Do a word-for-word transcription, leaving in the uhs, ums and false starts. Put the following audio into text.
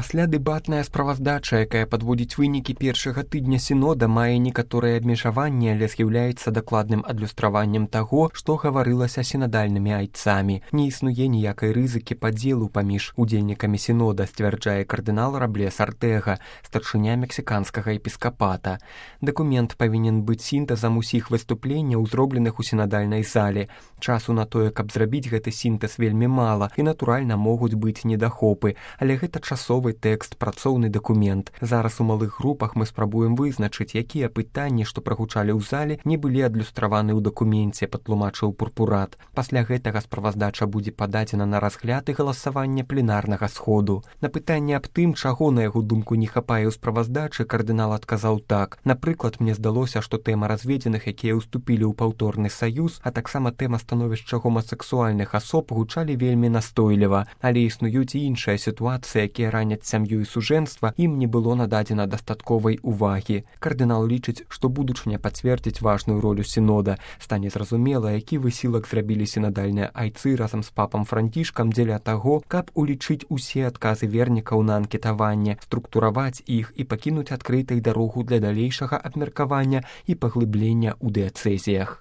Пасля дэбатная справаздача, якая падводзіць вынікі першага тыдня сінода, мае некаторыя абмежаванні, але з'яўляецца дакладным адлюстраваннем таго, што гаварылася сінадальнымі айцамі. Не існуе ніякай рызыкі падзелу паміж удзельнікамі сінода, сцвярджае кардынал Раблес Артэга, старшыня мексіканскага епіскапата. Дакумент павінен быць сінтэзам усіх выступленняў, зробленых у сінадальнай зале. Часу на тое, каб зрабіць гэты сінтэз, вельмі мала, і, натуральна, могуць быць недахопы, але гэта часовы тэкст, працоўны дакумент. Зараз у малых групах мы спрабуем вызначыць, якія пытанні, што прагучалі ў зале, не былі адлюстраваны ў дакуменце, патлумачыў Пурпурат. Пасля гэтага справаздача будзе пададзена на разгляд і галасаванне пленарнага сходу. На пытанне аб тым, чаго, на яго думку, не хапае ў справаздачы, кардынал адказаў так. Напрыклад, мне здалося, што тэма разведзеных, якія ўступілі ў паўторны саюз, а таксама тэма становішча гомасексуальных асоб гучалі вельмі настойліва, але існуюць і іншыя сітуацыі, якія раняць сям'ю і сужэнства, ім не было нададзена дастатковай увагі. Кардынал лічыць, што будучыня пацвердзіць важную ролю сінода. Стане зразумела, які высілак зрабілі сінадальныя айцы разам з папам Францішкам дзеля таго, каб улічыць усе адказы вернікаў на анкетаванне, структураваць іх і пакінуць адкрытай дарогу для далейшага абмеркавання і паглыблення ў дыяцэзіях.